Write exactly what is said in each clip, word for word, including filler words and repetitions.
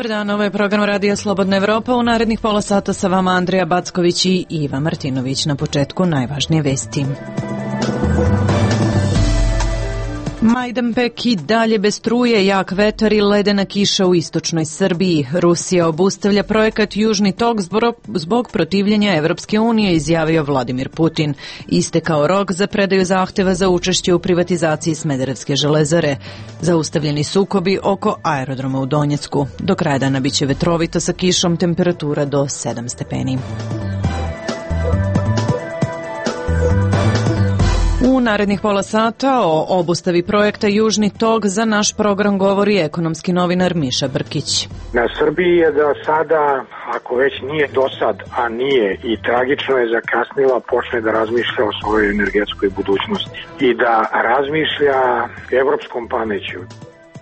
Dobar dan, ovo je program Radija Slobodna Evropa. U narednih pola sata sa vama Andreja Backović i Iva Martinović. Na početku najvažnije vesti. Majdanpek i dalje bez struje, jak vetar i ledena kiša u istočnoj Srbiji. Rusija obustavlja projekat Južni tok zbog protivljenja Evropske unije, izjavio Vladimir Putin. Istekao rok za predaju zahteva za učešće u privatizaciji Smederevske železare. Zaustavljeni sukobi oko aerodroma u Donjecku. Do kraja dana biće vetrovito sa kišom, temperatura do sedam stepeni. U narednih pola sata o obustavi projekta Južni tok za naš program govori ekonomski novinar Miša Brkić. Na Srbiji je da sada, ako već nije do sad, a nije i tragično je zakasnila, počne da razmišlja o svojoj energetskoj budućnosti i da razmišlja evropskom pameću.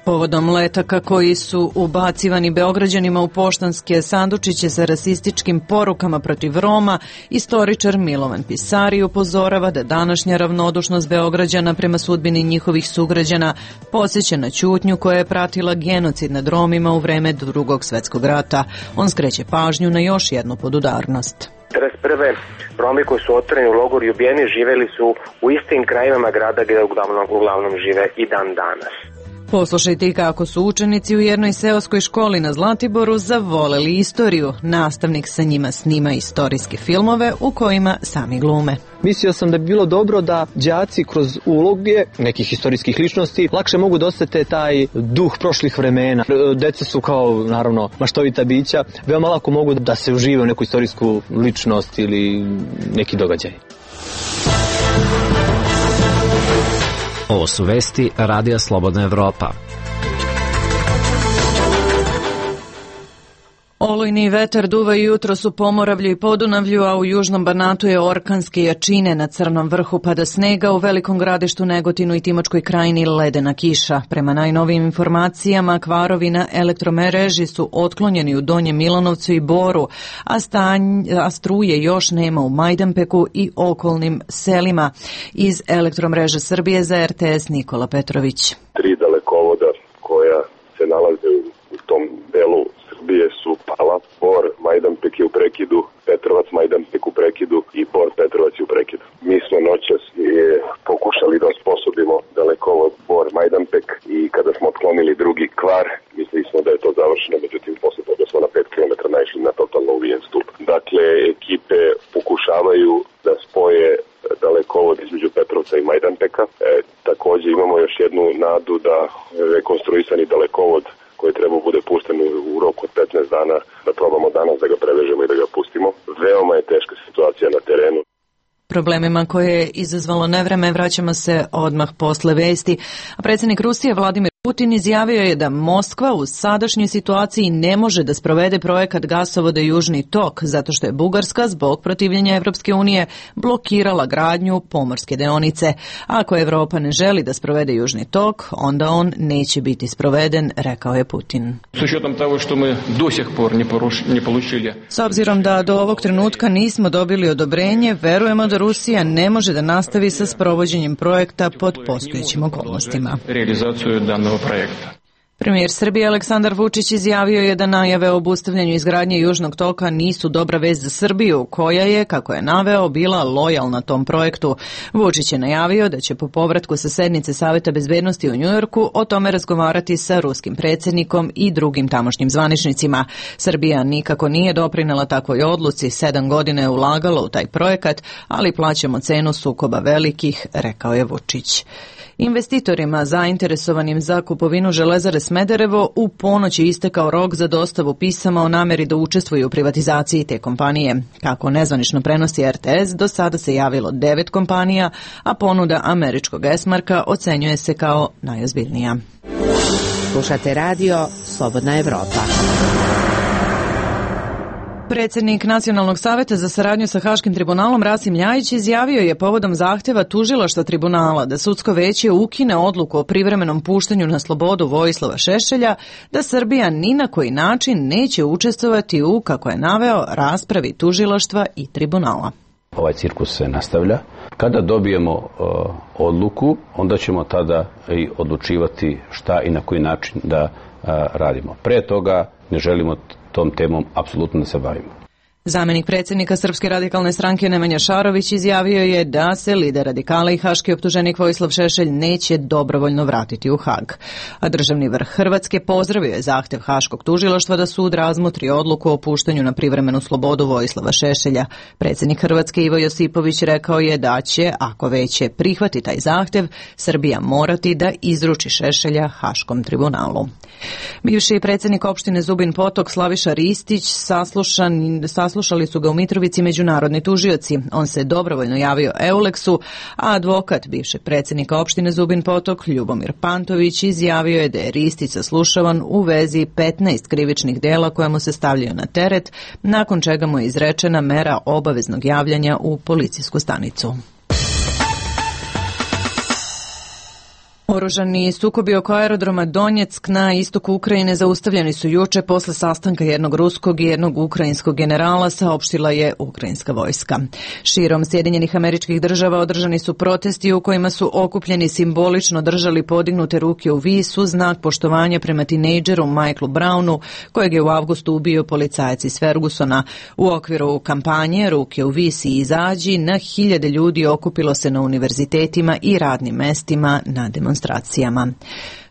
Povodom letaka koji su ubacivani Beograđanima u poštanske sandučiće sa rasističkim porukama protiv Roma, istoričar Milovan Pisari upozorava da današnja ravnodušnost Beograđana prema sudbini njihovih sugrađana podsjeća na ćutnju koja je pratila genocid nad Romima u vreme Drugog svetskog rata. On skreće pažnju na još jednu podudarnost. četrdeset prve Romi koji su otvoreni u logoru i ubijeni živeli su u istim krajevima grada gdje uglavnom, uglavnom žive i dan danas. Poslušajte kako su učenici u jednoj seoskoj školi na Zlatiboru zavoleli istoriju. Nastavnik sa njima snima istorijske filmove u kojima sami glume. Mislio sam da bi bilo dobro da đaci kroz uloge nekih istorijskih ličnosti lakše mogu da osete taj duh prošlih vremena. Deca su kao, naravno, maštovita bića, veoma lako mogu da se užive u neku istorijsku ličnost ili neki događaj. Ovo su vesti Radija Slobodna Evropa. Olujni vetar duva jutros u Pomoravlju i Podunavlju, a u južnom Banatu je orkanske jačine. Na Crnom vrhu pada snega, u Velikom Gradištu, Negotinu i Timočkoj krajini ledena kiša. Prema najnovijim informacijama, kvarovi na elektromreži su otklonjeni u Donjem Milanovcu i Boru, a, stanj, a struje još nema u Majdanpeku i okolnim selima. Iz Elektromreže Srbije za R T S Nikola Petrović. Tri dalekovoda koja se nalaze u tom delu Srbije su pala. Bor, Majdanpek je u prekidu, Petrovac, Majdanpek u prekidu i Bor, Petrovac je u prekidu. Mi smo noćas je pokušali da osposobimo dalekovod Bor, Majdanpek i kada smo otklonili drugi kvar, mislili smo da je to završeno, međutim posle toga smo na pet kilometara naišli na totalno uvijen stup. Dakle, ekipe pokušavaju da spoje dalekovod između Petrovca i Majdanpeka. E, također imamo još jednu nadu da rekonstruisani dalekovod koji treba bude pušten u roku od petnaest dana, da probamo danas da ga prevežemo i da ga pustimo. Veoma je teška situacija na terenu. Problemima koje je izazvalo nevreme vraćamo se odmah posle vesti. A predsjednik Rusije Vladimir Putin izjavio je da Moskva u sadašnjoj situaciji ne može da sprovede projekat gasovoda Južni tok, zato što je Bugarska zbog protivljenja Evropske unije blokirala gradnju pomorske deonice. Ako Evropa ne želi da sprovede Južni tok, onda on neće biti sproveden, rekao je Putin. S obzirom da do ovog trenutka nismo dobili odobrenje, verujemo da Rusija ne može da nastavi sa sprovođenjem projekta pod postojećim okolnostima. Projekta. Premijer Srbije Aleksandar Vučić izjavio je da najave o obustavljanju izgradnje Južnog toka nisu dobra vest za Srbiju, koja je, kako je naveo, bila lojalna tom projektu. Vučić je najavio da će po povratku sa sednice Saveta bezbednosti u Njujorku o tome razgovarati sa ruskim predsjednikom i drugim tamošnjim zvaničnicima. Srbija nikako nije doprinela takvoj odluci, sedam godina je ulagala u taj projekat, ali plaćamo cenu sukoba velikih, rekao je Vučić. Investitorima zainteresovanim za kupovinu železare Smederevo u ponoć je istekao rok za dostavu pisama o nameri da učestvuju u privatizaciji te kompanije. Kako nezvanično prenosi R T S, do sada se javilo devet kompanija, a ponuda američkog Esmarka ocenjuje se kao najozbiljnija. Slušate radio Slobodna Evropa. Predsjednik Nacionalnog saveta za saradnju sa Haškim tribunalom Rasim Ljajić izjavio je povodom zahtjeva tužilaštva tribunala da sudsko veće ukine odluku o privremenom puštanju na slobodu Vojislava Šešelja, da Srbija ni na koji način neće učestvovati u, kako je naveo, raspravi tužilaštva i tribunala. Ovaj cirkus se nastavlja. Kada dobijemo uh, odluku, onda ćemo tada i odlučivati šta i na koji način da uh, radimo. Pre toga ne želimo tom temom apsolutno da se bavimo. Zamenik predsjednika Srpske radikalne stranke Nemanja Šarović izjavio je da se lider radikala i haški optuženik Vojislav Šešelj neće dobrovoljno vratiti u Hag. A državni vrh Hrvatske pozdravio je zahtev haškog tužilaštva da sud razmotri odluku o puštanju na privremenu slobodu Vojislava Šešelja. Predsjednik Hrvatske Ivo Josipović rekao je da će, ako već prihvati taj zahtev, Srbija morati da izruči Šešelja Haškom tribunalu. Bivši predsjednik opštine Zubin Potok Slaviša Ristić saslušan, saslušali su ga u Mitrovici međunarodni tužioci. On se dobrovoljno javio Euleksu, a advokat bivšeg predsjednika opštine Zubin Potok Ljubomir Pantović izjavio je da je Ristić saslušavan u vezi petnaest krivičnih dela koja mu se stavljaju na teret, nakon čega mu je izrečena mera obaveznog javljanja u policijsku stanicu. Oružani sukobi oko aerodroma Donjeck na istoku Ukrajine zaustavljeni su juče posle sastanka jednog ruskog i jednog ukrajinskog generala, saopštila je ukrajinska vojska. Širom Sjedinjenih Američkih Država održani su protesti u kojima su okupljeni simbolično držali podignute ruke u vis u znak poštovanja prema tinejdžeru Michaelu Brownu, kojeg je u avgustu ubio policajac iz Fergusona. U okviru kampanje Ruke u vis i izađi na hiljade ljudi okupilo se na univerzitetima i radnim mestima na demonstracijama. demonstracijama.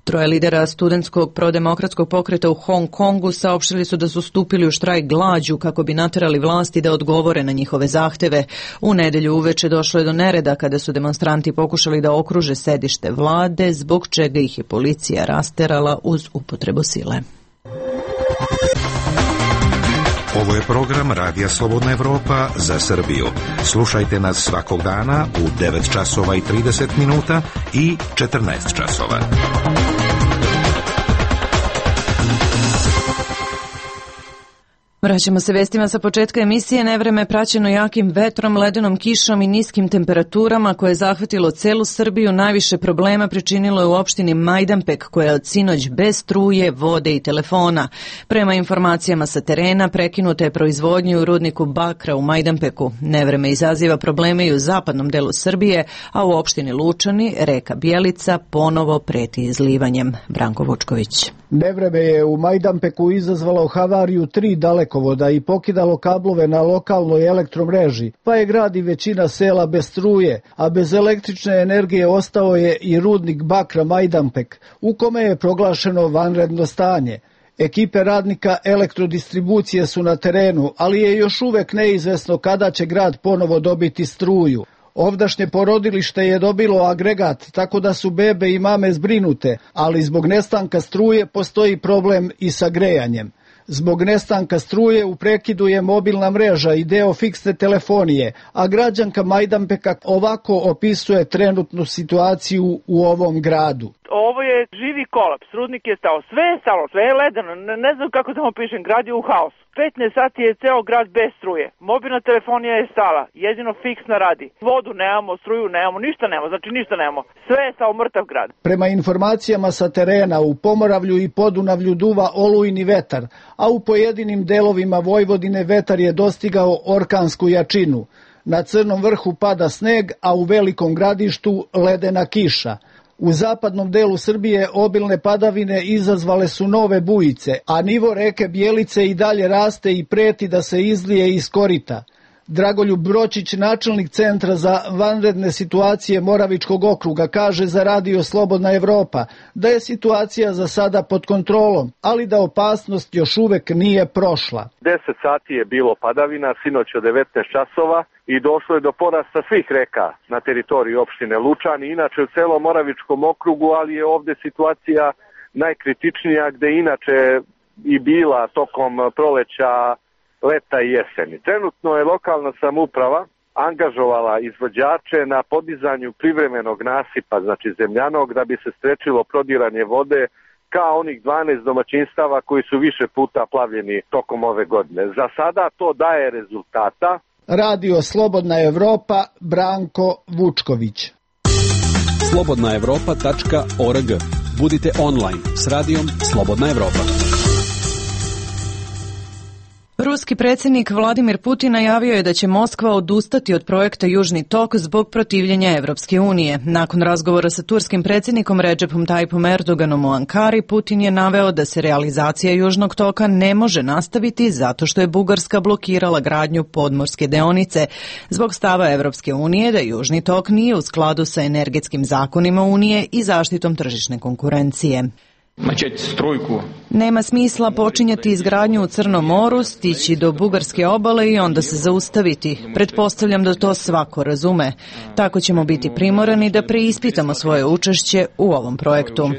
Troje lidera studentskog prodemokratskog pokreta u Hong Kongu saopštili su da su stupili u štrajk glađu kako bi naterali vlasti da odgovore na njihove zahteve. U nedelju uveče došlo je do nereda kada su demonstranti pokušali da okruže sedište vlade, zbog čega ih je policija rasterala uz upotrebu sile. Ovo je program Radija Slobodna Evropa za Srbiju. Slušajte nas svakog dana u devet časova i trideset minuta i četrnaest časova. Vraćamo se vestima sa početka emisije. Nevreme praćeno jakim vetrom, ledenom kišom i niskim temperaturama koje je zahvatilo celu Srbiju. Najviše problema pričinilo je u opštini Majdanpek, koja je od sinoć bez struje, vode i telefona. Prema informacijama sa terena, prekinuta je proizvodnja u rudniku bakra u Majdanpeku. Nevreme izaziva probleme i u zapadnom delu Srbije, a u opštini Lučani reka Bjelica ponovo preti izlivanjem. Branko Vučković. Nevreme je u Majdanpeku izazvalo havariju tri dalekovoda i pokidalo kablove na lokalnoj elektromreži, pa je grad i većina sela bez struje, a bez električne energije ostao je i rudnik bakra Majdanpek, u kome je proglašeno vanredno stanje. Ekipe radnika elektrodistribucije su na terenu, ali je još uvek neizvesno kada će grad ponovo dobiti struju. Ovdašnje porodilište je dobilo agregat, tako da su bebe i mame zbrinute, ali zbog nestanka struje postoji problem i sa grejanjem. Zbog nestanka struje u prekidu je mobilna mreža i deo fiksne telefonije, a građanka Majdanpeka ovako opisuje trenutnu situaciju u ovom gradu. Ovo je živi kolaps, rudnik je stao, sve je stalo, sve je ledeno, ne, ne znam kako da vam pišem, grad je u haosu. petnaest sati je ceo grad bez struje, mobilna telefonija je stala, jedino fiksna radi. Vodu nemamo, struju nemamo, ništa nemamo, znači ništa nemamo, sve je stao mrtav grad. Prema informacijama sa terena, u Pomoravlju i Podunavlju duva olujni vetar, a u pojedinim delovima Vojvodine vetar je dostigao orkansku jačinu. Na Crnom vrhu pada sneg, a u Velikom Gradištu ledena kiša. U zapadnom delu Srbije obilne padavine izazvale su nove bujice, a nivo reke Bjelice i dalje raste i preti da se izlije iz korita. Dragoljub Bročić, načelnik Centra za vanredne situacije Moravičkog okruga, kaže za Radio Slobodna Evropa da je situacija za sada pod kontrolom, ali da opasnost još uvek nije prošla. deset sati je bilo padavina, sinoć od devetnaest časova i došlo je do porasta svih reka na teritoriji opštine Lučani, inače u celom Moravičkom okrugu, ali je ovde situacija najkritičnija gde inače i bila tokom proleća, leta i jeseni. Trenutno je lokalna samouprava angažovala izvođače na podizanju privremenog nasipa, znači zemljanog, da bi se sprečilo prodiranje vode kao onih dvanaest domaćinstava koji su više puta plavljeni tokom ove godine. Za sada to daje rezultata. Radio Slobodna Evropa, Branko Vučković. slobodna evropa tačka org. Budite online s radijom Slobodna Evropa. Ruski predsjednik Vladimir Putin najavio je da će Moskva odustati od projekta Južni tok zbog protivljenja Evropske unije. Nakon razgovora sa turskim predsjednikom Recepom Tayyipom Erdoganom u Ankari, Putin je naveo da se realizacija Južnog toka ne može nastaviti zato što je Bugarska blokirala gradnju podmorske deonice zbog stava Evropske unije da Južni tok nije u skladu sa energetskim zakonima Unije i zaštitom tržišne konkurencije. Nema smisla počinjati izgradnju u Crnom moru, stići do bugarske obale i onda se zaustaviti. Pretpostavljam da to svako razume. Tako ćemo biti primorani da preispitamo svoje učešće u ovom projektu.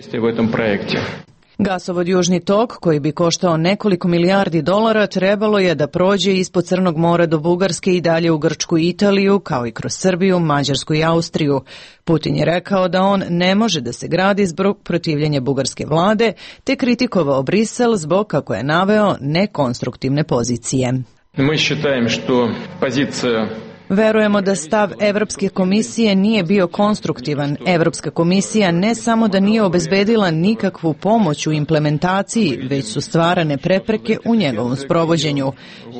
Gasovod Južni tok, koji bi koštao nekoliko milijardi dolara, trebalo je da prođe ispod Crnog mora do Bugarske i dalje u Grčku i Italiju, kao i kroz Srbiju, Mađarsku i Austriju. Putin je rekao da on ne može da se gradi zbog protivljenja bugarske vlade, te kritikovao Brisel zbog, kako je naveo, nekonstruktivne pozicije. Mi считаем, что позиция Verujemo da stav Evropske komisije nije bio konstruktivan. Evropska komisija ne samo da nije obezbedila nikakvu pomoć u implementaciji, već su stvarane prepreke u njegovom sprovođenju.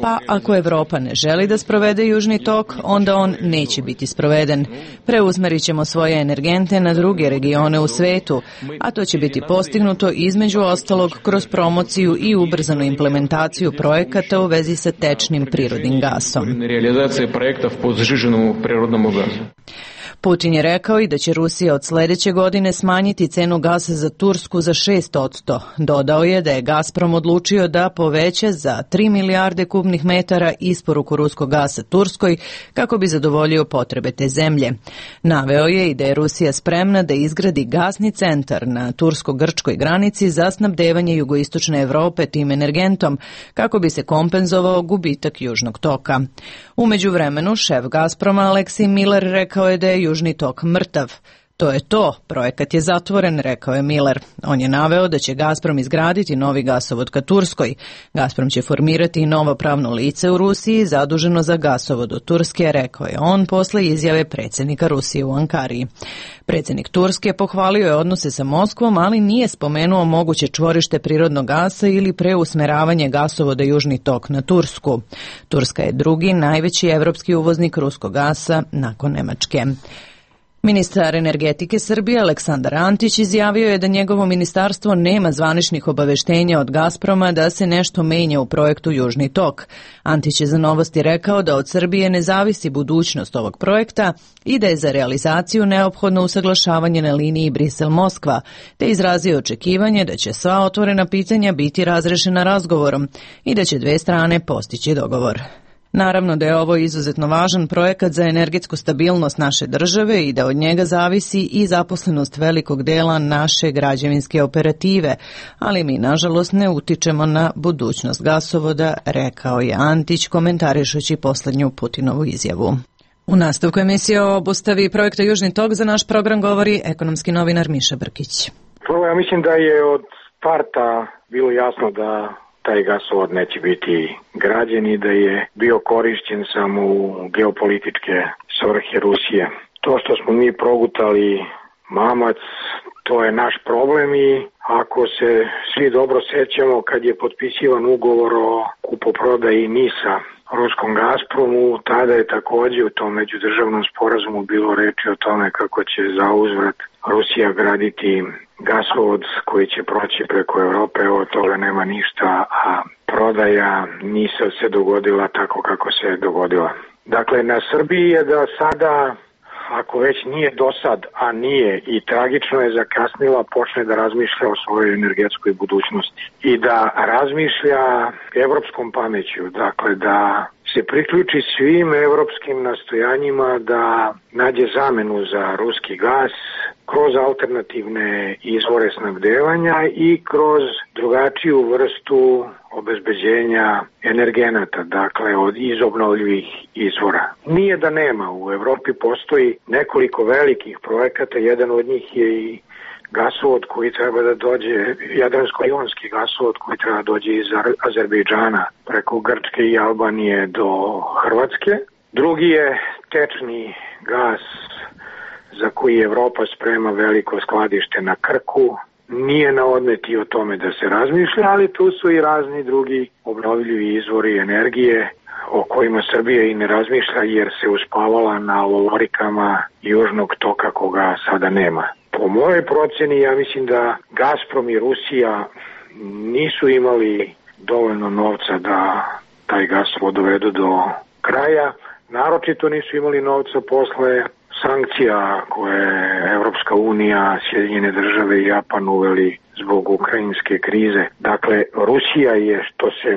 Pa ako Evropa ne želi da sprovede Južni tok, onda on neće biti sproveden. Preusmerit ćemo svoje energente na druge regione u svetu, a to će biti postignuto između ostalog kroz promociju i ubrzanu implementaciju projekata u vezi sa tečnim prirodnim gasom. po zžiženom prirodnom gazu. Putin je rekao i da će Rusija od sljedeće godine smanjiti cenu gasa za Tursku za šest posto. Dodao je da je Gazprom odlučio da poveća za tri milijarde kubnih metara isporuku ruskog gasa Turskoj kako bi zadovoljio potrebe te zemlje. Naveo je i da je Rusija spremna da izgradi gasni centar na tursko-grčkoj granici za snabdevanje jugoistočne Evrope tim energentom kako bi se kompenzovao gubitak Južnog toka. U međuvremenu šef Gazproma Aleksij Miller rekao je da je Južni tok mrtav. To je to, projekat je zatvoren, rekao je Miller. On je naveo da će Gazprom izgraditi novi gasovod ka Turskoj. Gazprom će formirati i novo pravno lice u Rusiji zaduženo za gasovod od Turske, rekao je on posle izjave predsjednika Rusije u Ankari. Predsjednik Turske pohvalio je odnose sa Moskvom, ali nije spomenuo moguće čvorište prirodnog gasa ili preusmeravanje gasovoda Južni tok na Tursku. Turska je drugi najveći evropski uvoznik ruskog gasa nakon Nemačke. Ministar energetike Srbije Aleksandar Antić izjavio je da njegovo ministarstvo nema zvaničnih obaveštenja od Gazproma da se nešto menja u projektu Južni tok. Antić je za Novosti rekao da od Srbije ne zavisi budućnost ovog projekta i da je za realizaciju neophodno usaglašavanje na liniji Brisel-Moskva, te izrazio očekivanje da će sva otvorena pitanja biti razrešena razgovorom i da će dve strane postići dogovor. Naravno da je ovo izuzetno važan projekat za energetsku stabilnost naše države i da od njega zavisi i zaposlenost velikog dela naše građevinske operative, ali mi nažalost ne utičemo na budućnost gasovoda, rekao je Antić komentarišući posljednju Putinovu izjavu. U nastavku emisije o obustavi projekta Južni tok za naš program govori ekonomski novinar Miša Brkić. Prvo, ja mislim da je od starta bilo jasno da taj gasovod neće biti građen i da je bio korišćen samo u geopolitičke svrhe Rusije. To što smo mi progutali mamac, to je naš problem i ako se svi dobro sećamo kad je potpisivan ugovor o kupoprodaji NIS-a ruskom Gazpromu, tada je također u tom međudržavnom sporazumu bilo reči o tome kako će za uzvrat Rusija graditi gasovod koji će proći preko Europe, od toga nema ništa, a prodaja NIS-a se dogodila tako kako se dogodila. Dakle, na Srbiji je da sada, ako već nije dosad, a nije i tragično je zakasnila, počne da razmišlja o svojoj energetskoj budućnosti i da razmišlja evropskom pameću, dakle da se priključi svim evropskim nastojanjima da nađe zamenu za ruski gas kroz alternativne izvore snabdevanja i kroz drugačiju vrstu obezbeđenja energenata, dakle od iz obnovljivih izvora. Nije da nema, u Evropi postoji nekoliko velikih projekata, jedan od njih je i gasovod koji treba da dođe, jadransko-jonski gasovod koji treba da dođe iz Azerbejdžana preko Grčke i Albanije do Hrvatske. Drugi je tečni gas za koji Evropa sprema veliko skladište na Krku nije na odmet i o tome da se razmišlja, ali tu su i razni drugi obnovljivi izvori energije o kojima Srbija i ne razmišlja jer se uspavala na lovorikama južnog toka koga sada nema. Po mojoj proceni ja mislim da Gazprom i Rusija nisu imali dovoljno novca da taj gasovod dovedu do kraja. Naročito nisu imali novca posle sankcija koje je Evropska unija, Sjedinjene države i Japan uveli zbog ukrajinske krize. Dakle, Rusija je, što se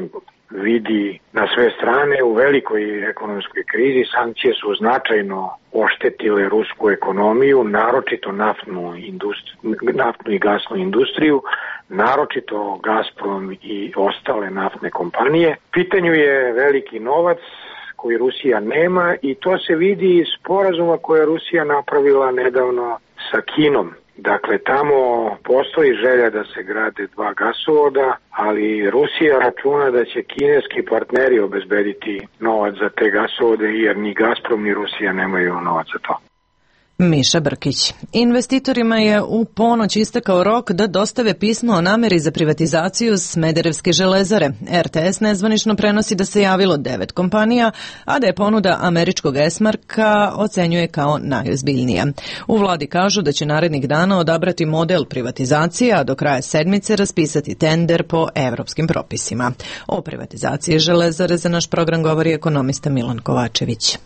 vidi na sve strane, u velikoj ekonomskoj krizi. Sankcije su značajno oštetile rusku ekonomiju, naročito naftnu, naftnu i gasnu industriju, naročito Gazprom i ostale naftne kompanije. Pitanju je veliki novac koji Rusija nema i to se vidi iz sporazuma koje je Rusija napravila nedavno sa Kinom. Dakle, tamo postoji želja da se grade dva gasovoda, ali Rusija računa da će kineski partneri obezbediti novac za te gasovode, jer ni Gazprom ni Rusija nemaju novac za to. Miša Brkić. Investitorima je u ponoć istekao rok da dostave pismo o nameri za privatizaciju Smederevske železare. er te es nezvanično prenosi da se javilo devet kompanija, a da je ponuda američkog Esmarka ocenjuje kao najozbiljnija. U vladi kažu da će narednih dana odabrati model privatizacije, a do kraja sedmice raspisati tender po evropskim propisima. O privatizaciji železare za naš program govori ekonomista Milan Kovačević.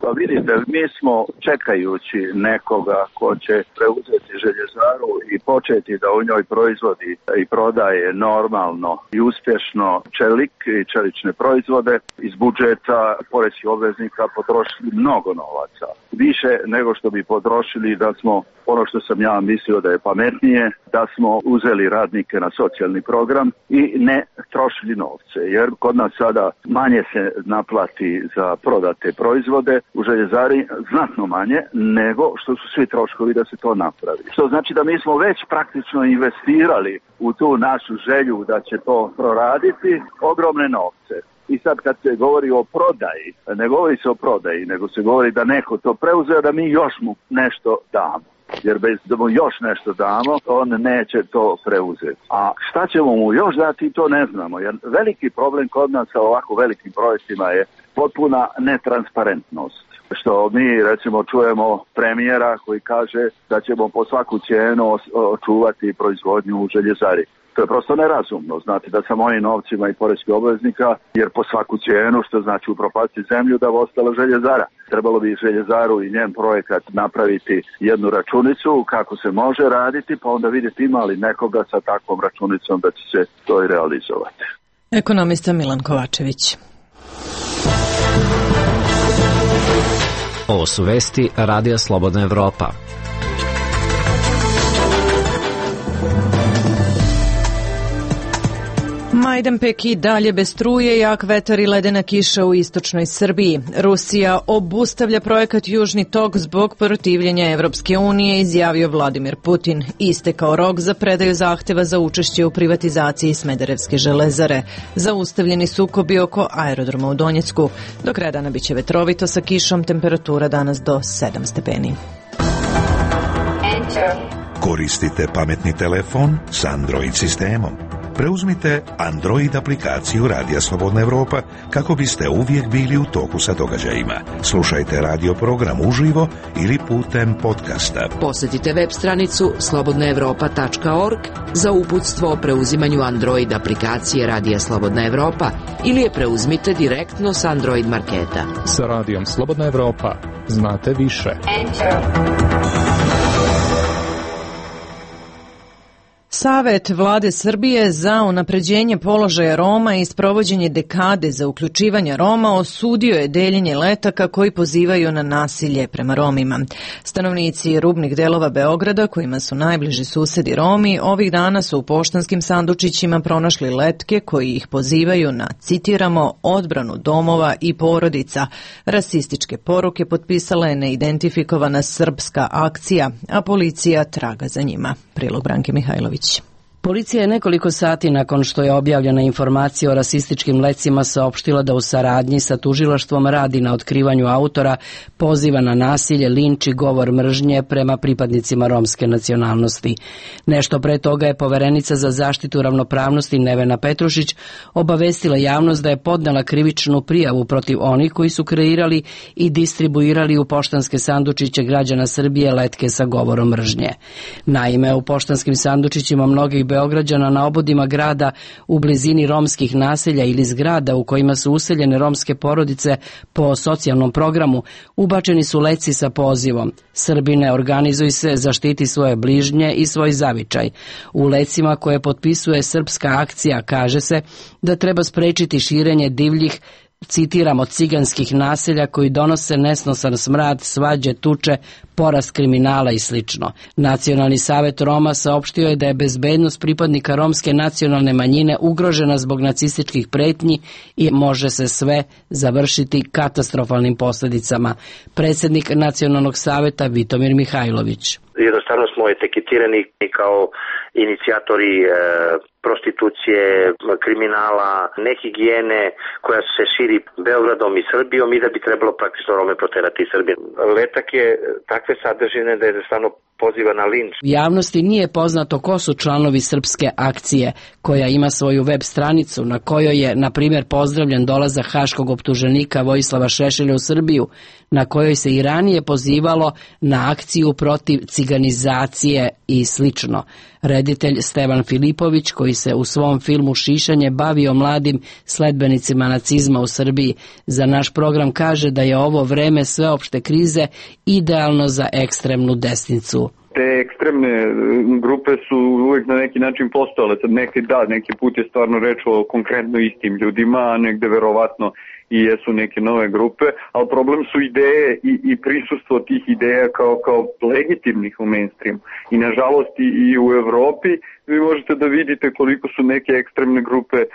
Pa vidite, mi smo čekajući nekoga ko će preuzeti željezaru i početi da u njoj proizvodi i prodaje normalno i uspješno čelik i čelične proizvode, iz budžeta poreskih obveznika potrošili mnogo novaca. Više nego što bi potrošili da smo, ono što sam ja mislio da je pametnije, da smo uzeli radnike na socijalni program i ne trošili novce. Jer kod nas sada manje se naplati za prodate proizvode, u željezari znatno manje nego što su svi troškovi da se to napravi. Što znači da mi smo već praktično investirali u tu našu želju da će to proraditi ogromne novce. I sad kad se govori o prodaji, ne govori se o prodaji, nego se govori da neko to preuzeo, da mi još mu nešto damo. Jer bez da mu još nešto damo, on neće to preuzeti. A šta ćemo mu još dati, to ne znamo. Jer veliki problem kod nas sa ovako velikim projektima je potpuna netransparentnost. Što mi recimo čujemo premijera koji kaže da ćemo po svaku cijenu očuvati proizvodnju u željezari. To je prosto nerazumno, znate, da samo onim novcima i poreskih obveznika, jer po svaku cijenu, što znači upropasti zemlju, da bi ostala željezara. Trebalo bi željezaru i njen projekat napraviti jednu računicu kako se može raditi, pa onda vidjeti ima li nekoga sa takvom računicom da će se to i realizovati. Ekonomista Milan Kovačević. Ovo su vesti Radija Slobodna Evropa. Majdanpek i dalje bez struje, jak vetar i ledena kiša u istočnoj Srbiji. Rusija obustavlja projekat Južni tok zbog protivljenja Evropske unije, izjavio Vladimir Putin. Istekao rok za predaju zahteva za učešće u privatizaciji Smederevske železare. Zaustavljeni sukobi oko aerodroma u Donjecku. Do kraja dana biće vetrovito sa kišom, temperatura danas do sedam stepeni. Koristite pametni telefon s Android sistemom. Preuzmite Android aplikaciju Radija Slobodna Evropa kako biste uvijek bili u toku sa događajima. Slušajte radio program uživo ili putem podcasta. Posjetite web stranicu slobodna evropa tačka org za uputstvo o preuzimanju Android aplikacije Radija Slobodna Evropa ili je preuzmite direktno s Android marketa. Sa Radijom Slobodna Evropa znate više. Enter. Savet Vlade Srbije za unapređenje položaja Roma i sprovođenje dekade za uključivanje Roma osudio je deljenje letaka koji pozivaju na nasilje prema Romima. Stanovnici rubnih delova Beograda, kojima su najbliži susedi Romi, ovih dana su u poštanskim sandučićima pronašli letke koji ih pozivaju na, citiramo, odbranu domova i porodica. Rasističke poruke potpisala je neidentifikovana srpska akcija, a policija traga za njima. Prilog Branke Mihajlović. Policija je nekoliko sati nakon što je objavljena informacija o rasističkim lecima saopštila da u saradnji sa tužilaštvom radi na otkrivanju autora poziva na nasilje, linč i govor mržnje prema pripadnicima romske nacionalnosti. Nešto pre toga je poverenica za zaštitu ravnopravnosti Nevena Petrušić obavestila javnost da je podnela krivičnu prijavu protiv onih koji su kreirali i distribuirali u poštanske sandučiće građana Srbije letke sa govorom mržnje. Naime, u poštanskim sandučićima mnogih Beograđana na obodima grada u blizini romskih naselja ili zgrada u kojima su useljene romske porodice po socijalnom programu ubačeni su leci sa pozivom: Srbine, organizuj se, zaštiti svoje bližnje i svoj zavičaj. U lecima koje potpisuje Srpska akcija kaže se da treba sprečiti širenje divljih, citiramo, ciganskih naselja koji donose nesnosan smrad, svađe, tuče, porast kriminala i slično. Nacionalni savet Roma saopštio je da je bezbednost pripadnika romske nacionalne manjine ugrožena zbog nacističkih pretnji i može se sve završiti katastrofalnim posledicama. Predsjednik Nacionalnog saveta Vitomir Mihajlović. Jednostavno smo etiketirani kao inicijatori e, prostitucije, kriminala, nehigijene koja se širi Beogradom i Srbijom i da bi trebalo praktično Rome proterati iz Srbije. Letak je takve sadržine da je jednostavno poziva na linč. Javnosti nije poznato ko su članovi Srpske akcije, koja ima svoju web stranicu na kojoj je, na primjer, pozdravljen dolazak haškog optuženika Vojislava Šešelja u Srbiju, na kojoj se i ranije pozivalo na akciju protiv ciganizacije i slično. Reditelj Stevan Filipović, koji se u svom filmu Šišanje bavio mladim sledbenicima nacizma u Srbiji, za naš program kaže da je ovo vreme sveopšte krize idealno za ekstremnu desnicu. Te ekstremne grupe su uvijek na neki način postojale. Sad neki da, neki put je stvarno reč o konkretno istim ljudima, a negde verovatno i jesu neke nove grupe, ali problem su ideje i, i prisustvo tih ideja kao, kao legitimnih u mainstreamu. I nažalost i, i u Evropi vi možete da vidite koliko su neke ekstremne grupe uh,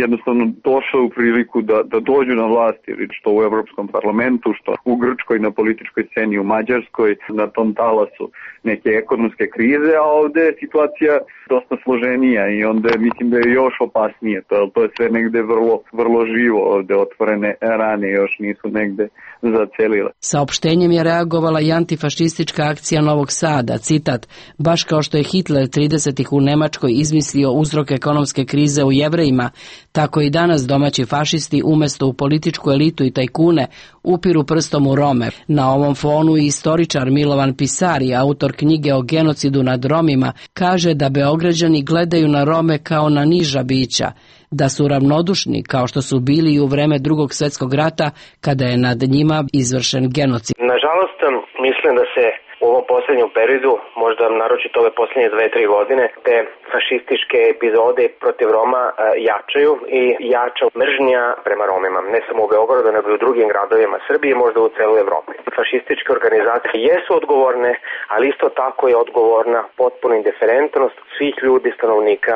jednostavno došle u priliku da, da dođu na vlast, ili što u Evropskom parlamentu, što u Grčkoj na političkoj sceni, u Mađarskoj, na tom talasu neke ekonomske krize, a ovde je situacija dosta složenija i onda mislim da je još opasnije. To, to je sve negde vrlo, vrlo živo ovde, otvorene rane još nisu negde zacelile. Saopštenjem je reagovala i antifašistička akcija Novog Sada, citat: baš kao što je Hitler tridesetih u Nemačkoj izmislio uzrok ekonomske krize u Jevrejima, tako i danas domaći fašisti umesto u političku elitu i tajkune upiru prstom u Rome. Na ovom fonu i istoričar Milovan Pisari, autor knjige o genocidu nad Romima, kaže da Beograđani gledaju na Rome kao na niža bića, da su ravnodušni kao što su bili i u vreme Drugog svjetskog rata kada je nad njima izvršen genocid. Nažalost, mislim da se u ovom posljednjem periodu, možda naročito ove posljednje dve, tri godine, te fašističke epizode protiv Roma jačaju i jača mržnja prema Romima, ne samo u Beogradu, nego i u drugim gradovima Srbije, možda u celoj Evropi. Fašističke organizacije jesu odgovorne, ali isto tako je odgovorna potpuna indiferentnost svih ljudi, stanovnika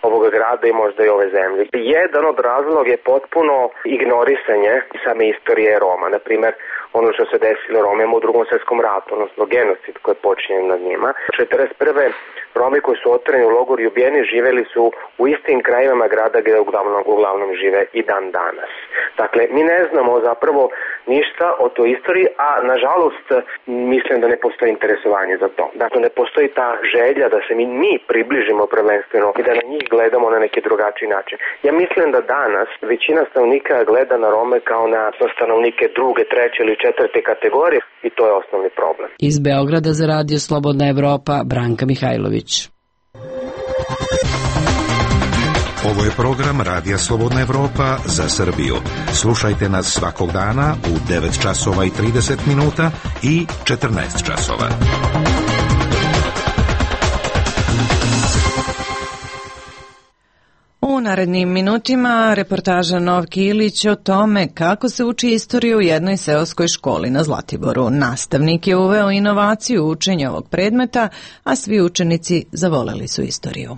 ovoga grada i možda i ove zemlje. Jedan od razloga je potpuno ignorisanje same istorije Roma. Na primjer, ono što se desilo Romima u Drugom svjetskom ratu, odnosno genocid koji je počinjen nad njima. četrdeset prve Romi koji su otrani u logoru i ubijeni živjeli su u istim krajevima grada gdje uglavnom, uglavnom žive i dan danas. Dakle, mi ne znamo zapravo ništa o toj istoriji, a nažalost mislim da ne postoji interesovanje za to. Dakle, ne postoji ta želja da se mi, mi približimo prvenstveno i da na njih gledamo na neki drugačiji način. Ja mislim da danas većina stanovnika gleda na Rome kao na stanovnike druge, treće ili četvrte kategorije i to je osnovni problem. Iz Beograda za Radio Slobodna Evropa, Branka Mihajlović. Ovo je program Radija Slobodna Evropa za Srbiju. Slušajte nas svakog dana u devet časova i trideset minuta i četrnaest časova. U narednim minutima reportaža Novki Ilić o tome kako se uči istoriju u jednoj seoskoj školi na Zlatiboru. Nastavnik je uveo inovaciju u učenju ovog predmeta, a svi učenici zavoleli su istoriju.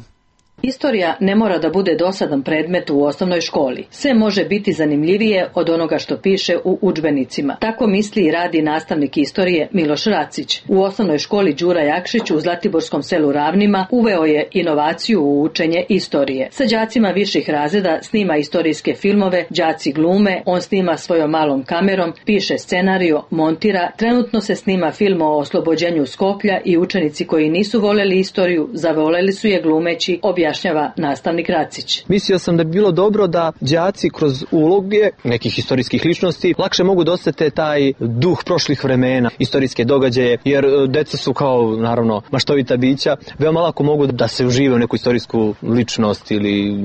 Istorija ne mora da bude dosadan predmet u osnovnoj školi. Sve može biti zanimljivije od onoga što piše u udžbenicima. Tako misli i radi nastavnik istorije Miloš Racić. U osnovnoj školi Đura Jakšić u Zlatiborskom selu Ravnima uveo je inovaciju u učenje istorije. Sa đacima viših razreda snima istorijske filmove, đaci glume, on snima svojom malom kamerom, piše scenarijo, montira. Trenutno se snima film o oslobođenju Skoplja i učenici koji nisu voleli istoriju, zavoleli su je glumeći, objašnjava nastavnik Racić. Mislio sam da bi bilo dobro da đaci kroz uloge nekih historijskih ličnosti lakše mogu da osete taj duh prošlih vremena, istorijske događaje, jer deca su kao, naravno, maštovita bića, veoma lako mogu da se užive u neku istorijsku ličnost ili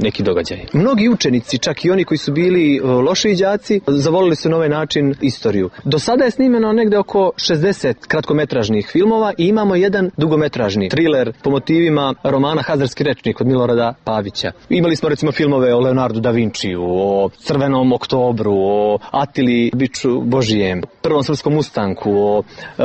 neki događaj. Mnogi učenici, čak i oni koji su bili lošiji đaci, zavolili su na ovaj način istoriju. Do sada je snimeno negde oko šezdeset kratkometražnih filmova i imamo jedan dugometražni triler po motivima romana Hazarski rečnik od Milorada Pavića. Imali smo recimo filmove o Leonardu da Vinciju, o Crvenom oktobru, o Atili Biču Božijem, Prvom srpskom ustanku, o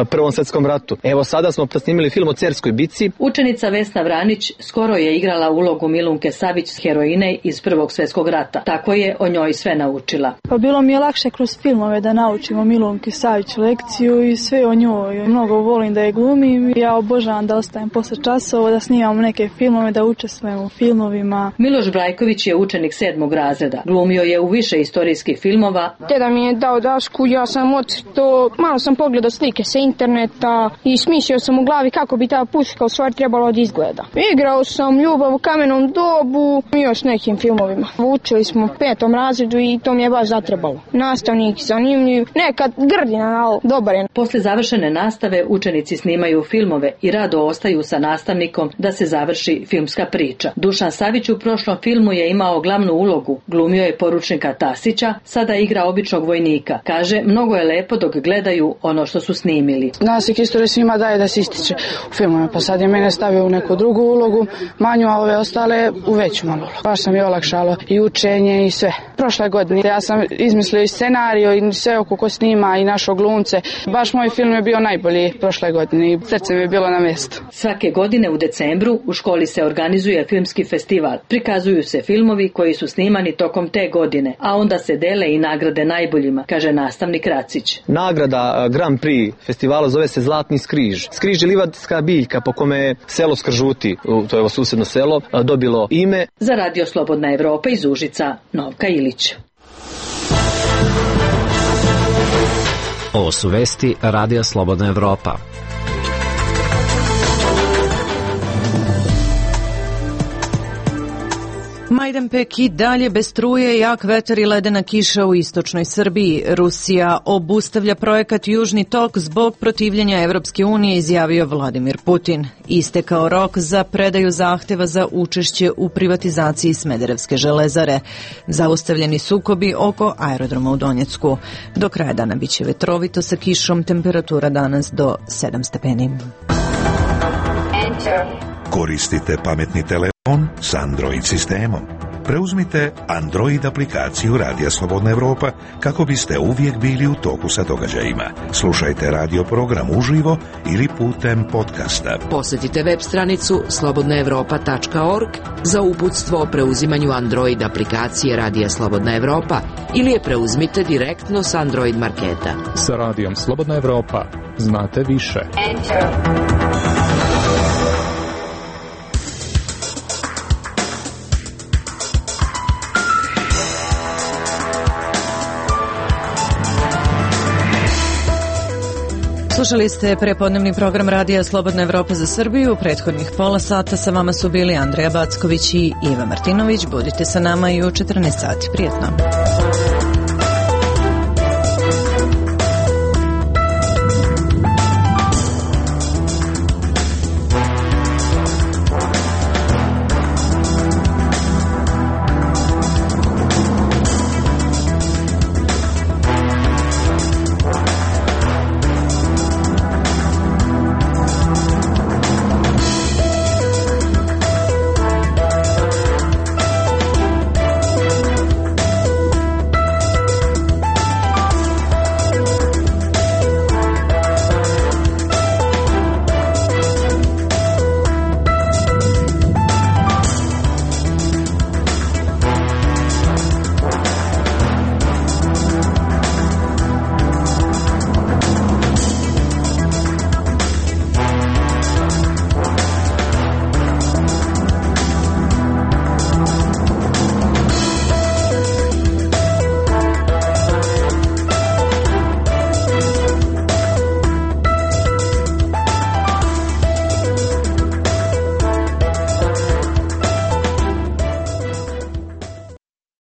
Prvom svetskom ratu. Evo sada smo snimili film o Cerskoj bici. Učenica Vesna Vranić skoro je igrala ulogu Milunke Savić, heroine iz Prvog svjetskog rata. Tako je o njoj sve naučila. Pa bilo mi je lakše kroz filmove da naučimo Milunke Savić lekciju i sve o njoj. Mnogo volim da je glumim. Ja obožavam da ostajem posle časova, da snimam neke filmove, da učestvujem u filmovima. Miloš Brajković je učenik sedmog razreda. Glumio je u više istorijskih filmova. Deda mi je dao dasku, ja sam to malo sam pogledao slike sa interneta i smislio sam u glavi kako bi ta puška u stvari trebalo da izgleda. Igrao sam Ljubav u kamenom dobu i još nekim filmovima. Učili smo u petom razredu i to mi je baš zatrebalo. Nastavnik zanimljiv, nekad grdina, ali dobar je. Posle završene nastave učenici snimaju filmove i rado ostaju sa nastavnikom da se završi filmska priča. Dušan Savić u prošlom filmu je imao glavnu ulogu. Glumio je poručnika Tasića, sada igra običnog vojnika. Kaže, mnogo je lepo dok gledaju ono što su snimili. Nastavnik istorije svima daje da se ističe u filmove, pa sad je mene stavio u neku drugu ulogu, manju, a ove ostale u veću malu. Baš sam je olakšalo i učenje i sve. Prošle godine ja sam izmislio i scenario i sve oko ko snima i našo glumce. Baš moj film je bio najbolji prošle godine i srce mi je bilo na mjestu. Svake godine u decembru u školi se organizuje filmski festival. Prikazuju se filmovi koji su snimani tokom te godine, a onda se dele i nagrade najboljima, kaže nastavnik Racić. Nagrada Grand Prix festivala zove se Zlatni skriž. Skriž je livadska biljka po kome je selo Skržuti, to je ovo susedno selo, dobilo ime. Za Radio Slobodna Evropa iz Užica, Novka Ilić. Ovo su vesti Radija Slobodna Evropa. Majdanpek i dalje bez struje, jak vetar i ledena kiša u istočnoj Srbiji. Rusija obustavlja projekat Južni tok zbog protivljenja Evropske unije, izjavio Vladimir Putin. Istekao rok za predaju zahteva za učešće u privatizaciji Smederevske železare. Zaustavljeni sukobi oko aerodroma u Donjecku. Do kraja dana biće vetrovito sa kišom, temperatura danas do sedam stepeni. Koristite pametni telefon s Android sistemom. Preuzmite Android aplikaciju Radija Slobodna Evropa kako biste uvijek bili u toku sa događajima. Slušajte radio program uživo ili putem podcasta. Posjetite web stranicu slobodna evropa tačka org za uputstvo o preuzimanju Android aplikacije Radija Slobodna Evropa ili je preuzmite direktno s Android marketa. Sa Radijom Slobodna Evropa znate više. Enter. Slušali ste prepodnevni program Radija Slobodna Evropa za Srbiju. U prethodnih pola sata sa vama su bili Andreja Backović i Iva Martinović. Budite sa nama i u četrnaest sati. Prijetno.